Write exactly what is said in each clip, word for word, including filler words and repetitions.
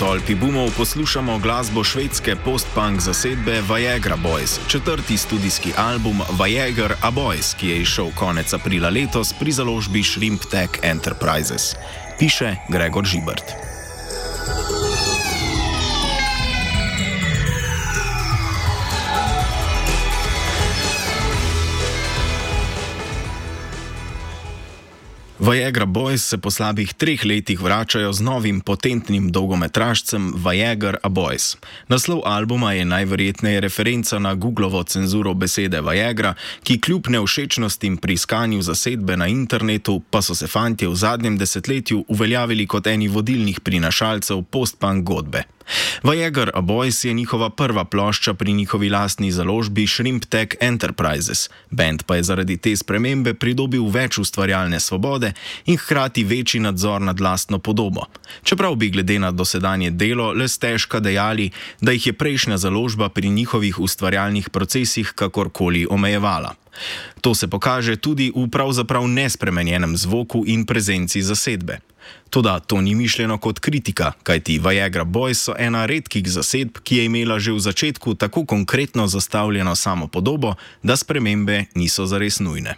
tolpi boomov poslušamo glasbo švedske post-punk zasedbe Viagra Boys, četrti studijski album Viagra A Boys, ki je izšel konec aprila letos pri založbi Shrimp Tech Enterprises. Piše Gregor Žibert. Viagra Boys se po slabih treh letih vračajo z novim potentnim dolgometražcem Viagra A Boys. Naslov albuma je najverjetneje referenca na Googlovo cenzuro besede Viagra, ki kljub nevšečnostim pri iskanju zasedbe na internetu, pa so se fantje v zadnjem desetletju uveljavili kot eni vodilnih prinašalcev post-punk godbe. Viagra A Boys je njihova prva plošča pri njihovi lastni založbi Shrimp Tech Enterprises. Band pa je zaradi te spremembe pridobil več ustvarjalne svobode in hkrati večji nadzor nad lastno podobo. Čeprav bi glede na dosedanje delo le stežka dejali, da jih je prejšnja založba pri njihovih ustvarjalnih procesih kakorkoli omejevala. To se pokaže tudi v pravzaprav nespremenjenem zvoku in prezenci zasedbe. Toda to ni mišljeno kot kritika, kajti Viagra Boys so ena redkih zasedb, ki je imela že v začetku tako konkretno zastavljeno samopodobo, da spremembe niso zares nujne.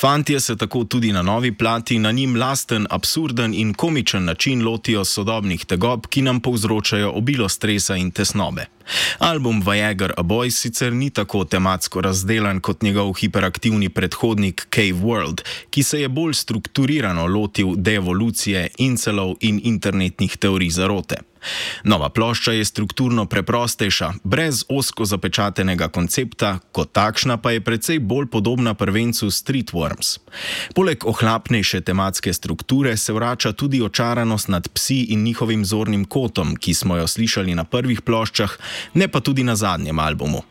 Fantje se tako tudi na novi plati na njim lasten, absurden in komičen način lotijo sodobnih tegob, ki nam povzročajo obilo stresa in tesnobe. Album Viagra A Boys sicer ni tako tematsko razdelan kot njegov hiperaktivni predhodnik Cave World, ki se je bolj strukturirano lotil deevolucije, incelov in internetnih teorij zarote. Nova plošča je strukturno preprostejša, brez ozko zapečatenega koncepta, kot takšna pa je precej bolj podobna prvencu Streetworms. Poleg ohlapnejše tematske strukture se vrača tudi očaranost nad psi in njihovim zornim kotom, ki smo jo slišali na prvih ploščah, ne pa tudi na zadnjem albumu.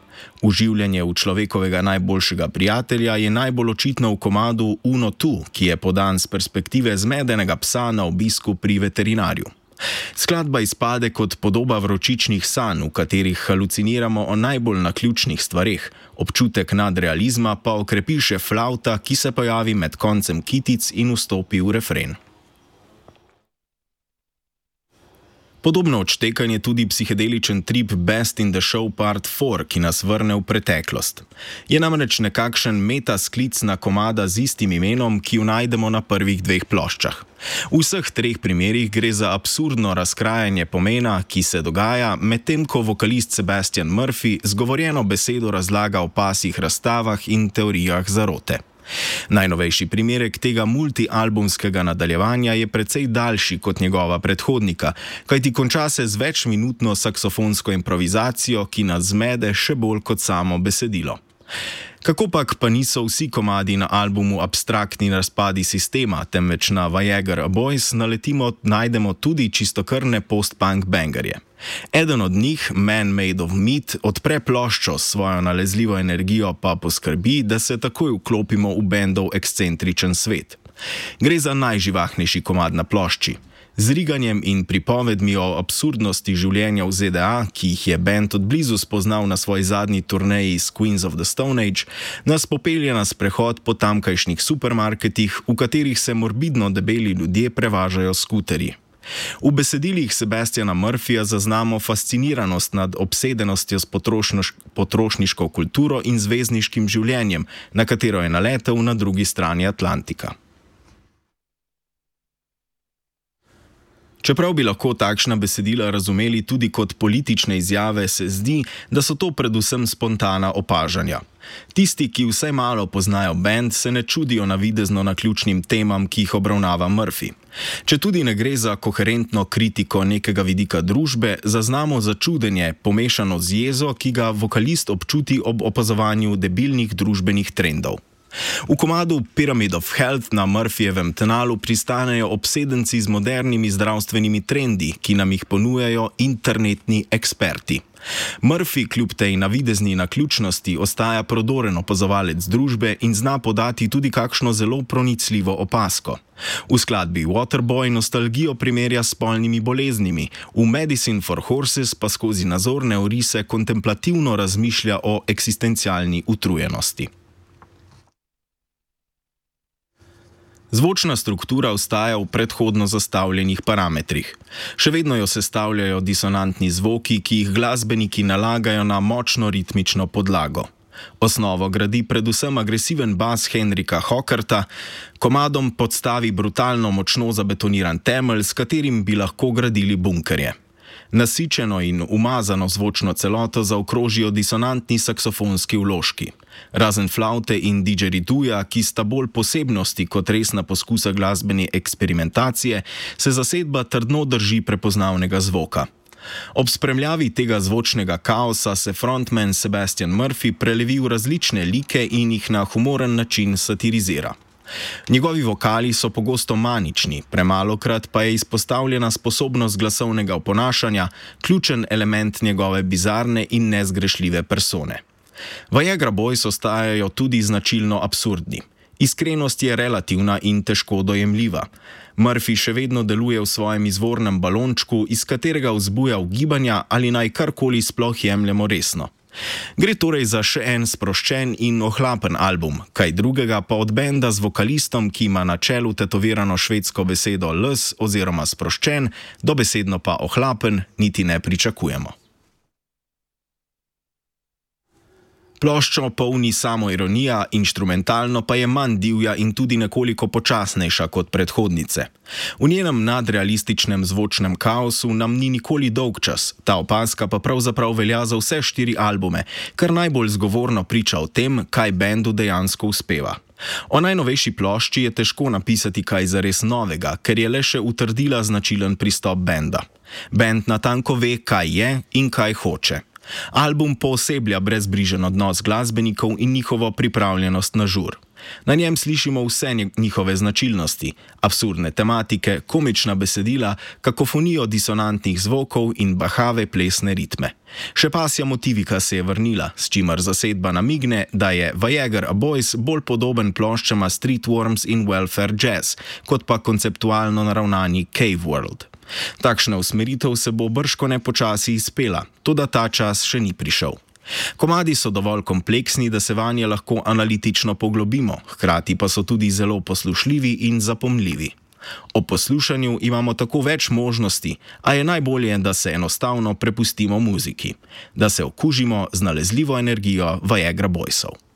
Uživljanje v človekovega najboljšega prijatelja je najbolj očitno v komadu Uno Tu, ki je podan z perspektive zmedenega psa na obisku pri veterinarju. Skladba izpade kot podoba vročičnih sanj, v katerih haluciniramo o najbolj naključnih stvareh, občutek nadrealizma pa okrepi še flavta, ki se pojavi med koncem kitic in vstopi v refren. Podobno odštekan je tudi psihedeličen trip Best in the Show Part štiri, ki nas vrne v preteklost. Je namreč nekakšen meta-sklic na komada z istim imenom, ki jo najdemo na prvih dveh ploščah. V vseh treh primerih gre za absurdno razkrajanje pomena, ki se dogaja, medtem ko vokalist Sebastian Murphy zgovorjeno besedo razlaga o pasjih razstavah in teorijah zarote. Najnovejši primerek tega multialbumskega nadaljevanja je precej daljši kot njegova predhodnika, kajti konča se z večminutno saksofonsko improvizacijo, ki nas zmede še bolj kot samo besedilo. Kakopak pa niso vsi komadi na albumu abstraktni razpadi sistema, temveč na Viagra A Boys naletimo, najdemo tudi čistokrvne post-punk bangerje. Eden od njih, Man Made of Meat, odpre ploščo s svojo nalezljivo energijo, pa poskrbi, da se takoj vklopimo v bendov ekscentričen svet. Gre za najživahnejši komad na plošči. Z riganjem in pripovedmi o absurdnosti življenja v Z D A, ki jih je bend odblizu spoznal na svoji zadnji turneji s Queens of the Stone Age, nas popelje na sprehod po tamkajšnjih supermarketih, v katerih se morbidno debeli ljudje prevažajo s skuterji. V besedilih Sebastiana Murphyja zaznamo fasciniranost nad obsedenostjo s potrošnoš- potrošniško kulturo in zvezdniškim življenjem, na katero je naletel na drugi strani Atlantika. Čeprav bi lahko takšna besedila razumeli tudi kot politične izjave, se zdi, da so to predvsem spontana opažanja. Tisti, ki vsaj malo poznajo bend, se ne čudijo navidezno naključnim temam, ki jih obravnava Murphy. Četudi ne gre za koherentno kritiko nekega vidika družbe, zaznamo začudenje, pomešano z jezo, ki ga vokalist občuti ob opazovanju debilnih družbenih trendov. V komadu Pyramid of Health na Murphyjevem tnalu pristanejo obsedenci z modernimi zdravstvenimi trendi, ki nam jih ponujajo internetni eksperti. Murphy kljub tej navidezni naključnosti ostaja prodoren opazovalec družbe in zna podati tudi kakšno zelo pronicljivo opazko. V skladbi Waterboy nostalgijo primerja s spolnimi boleznimi, v Medicine for Horses pa skozi nazorne orise kontemplativno razmišlja o eksistencialni utrujenosti. Zvočna struktura ostaja v predhodno zastavljenih parametrih. Še vedno jo sestavljajo disonantni zvoki, ki jih glasbeniki nalagajo na močno ritmično podlago. Osnovo gradi predvsem agresiven bas Henrika Hockerta, komadom podstavi brutalno močno zabetoniran temelj, s katerim bi lahko gradili bunkerje. Nasičeno in umazano zvočno celoto zaokrožijo disonantni saksofonski vložki. Razen flavte in didžeriduja, ki sta bolj posebnosti kot resna poskusa glasbene eksperimentacije, se zasedba trdno drži prepoznavnega zvoka. Ob spremljavi tega zvočnega kaosa se frontman Sebastian Murphy prelevi v različne like in jih na humoren način satirizira. Njegovi vokali so pogosto manični, premalokrat pa je izpostavljena sposobnost glasovnega oponašanja, ključen element njegove bizarne in nezgrešljive persone. Viagra Boys ostajajo tudi značilno absurdni. Iskrenost je relativna in težko dojemljiva. Murphy še vedno deluje v svojem izvornem balončku, iz katerega vzbuja ugibanja ali naj karkoli sploh jemljemo resno. Gre torej za še en sproščen in ohlapen album, kaj drugega pa od benda z vokalistom, ki ima na čelu tetovirano švedsko besedo les oziroma sproščen, dobesedno pa ohlapen, niti ne pričakujemo. Ploščo polni samoironija, inštrumentalno pa je manj divja in tudi nekoliko počasnejša kot predhodnice. V njenem nadrealističnem zvočnem kaosu nam ni nikoli dolgčas, ta opazka pa pravzaprav velja za vse štiri albume, kar najbolj zgovorno priča o tem, kaj bendu dejansko uspeva. O najnovejši plošči je težko napisati kaj zares novega, ker je le še utrdila značilen pristop benda. Bend natanko ve, kaj je in kaj hoče. Album pooseblja brezbrižen odnos glasbenikov in njihovo pripravljenost na žur. Na njem slišimo vse njihove značilnosti, absurdne tematike, komična besedila, kakofonijo disonantnih zvokov in bahave plesne ritme. Še pasja motivika se je vrnila, s čimer zasedba namigne, da je Viagra Boys bolj podoben ploščama Streetworms in Welfare Jazz, kot pa konceptualno naravnani Cave World. Takšna usmeritev se bo bržkone počasi izpela, toda ta čas še ni prišel. Komadi so dovolj kompleksni, da se vanje lahko analitično poglobimo, hkrati pa so tudi zelo poslušljivi in zapomljivi. Ob poslušanju imamo tako več možnosti, a je najbolje, da se enostavno prepustimo muziki, da se okužimo z nalezljivo energijo Viagra Boysov.